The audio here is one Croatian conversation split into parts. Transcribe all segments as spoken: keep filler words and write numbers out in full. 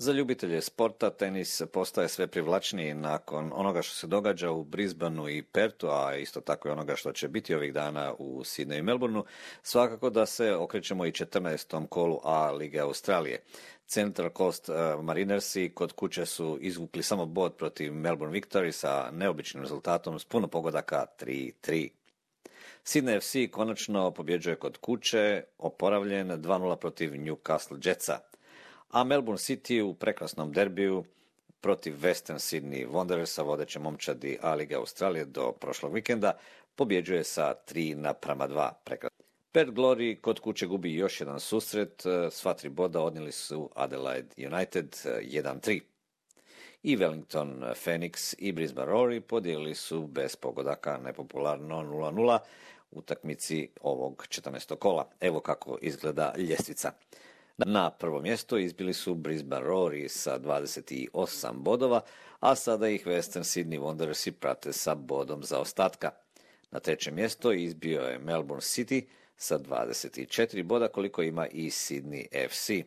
Za ljubitelje sporta tenis postaje sve privlačniji nakon onoga što se događa u Brisbaneu i Perthu, a isto tako i onoga što će biti ovih dana u Sydneyu i Melbourneu. Svakako da se okrećemo i četrnaestom kolu A lige Australije. Central Coast Marinersi kod kuće su izvukli samo bod protiv Melbourne Victory sa neobičnim rezultatom s puno pogodaka tri tri. Sydney F C konačno pobjeđuje kod kuće, oporavljen dva nula protiv Newcastle Jetsa. A Melbourne City u prekrasnom derbiju protiv Western Sydney Wanderersa, vodeće momčadi A lige Australije do prošlog vikenda, pobjeđuje sa tri naprama dva. Prekrasno. Perth Glory kod kuće gubi još jedan susret, sva tri boda odnijeli su Adelaide United jedan tri. I Wellington Phoenix i Brisbane Roar podijelili su bez pogodaka nepopularno nula nula utakmici ovog četrnaestog kola. Evo kako izgleda ljestvica. Na prvo mjesto izbili su Brisbane Roar sa dvadeset osam bodova, a sada ih Western Sydney Wanderersi prate sa bodom zaostatka. Na treće mjesto izbio je Melbourne City sa dvadeset četiri boda, koliko ima i Sydney F C.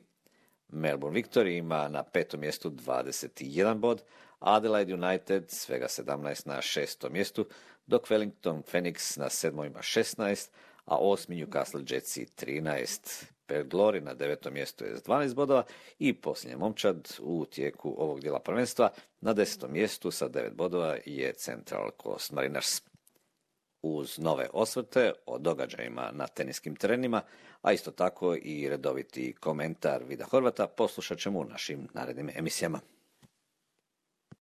Melbourne Victory ima na petom mjestu dvadeset jedan bod, Adelaide United svega sedamnaest na šestom mjestu, dok Wellington Phoenix na sedmom ima šesnaest, a osmi Newcastle Jetsi trinaest. Perth Glory na devetom mjestu je s dvanaest bodova i posljednji momčad u tijeku ovog dijela prvenstva na desetom mjestu sa devet bodova je Central Coast Mariners. Uz nove osvrte o događajima na teniskim terenima, a isto tako i redoviti komentar Vida Horvata poslušat ćemo u našim narednim emisijama.